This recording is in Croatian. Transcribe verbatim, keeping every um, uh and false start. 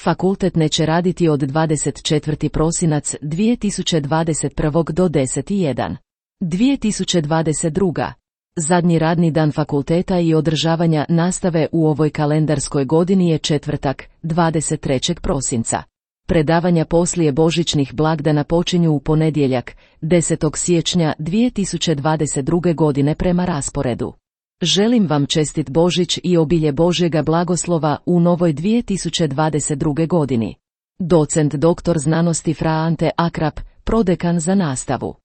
Fakultet neće raditi od dvadeset četvrti prosinac dvije tisuće dvadeset prvi do deseti jedan dvije tisuće dvadeset druga Zadnji radni dan fakulteta i održavanja nastave u ovoj kalendarskoj godini je četvrtak, dvadeset trećeg prosinca. Predavanja poslije božićnih blagdana počinju u ponedjeljak, desetog siječnja dvije tisuće dvadeset druge godine prema rasporedu. Želim vam čestit Božić i obilje Božjega blagoslova u novoj dvije tisuće dvadeset druge godini. Docent doktor znanosti Fra Ante Akrap, prodekan za nastavu.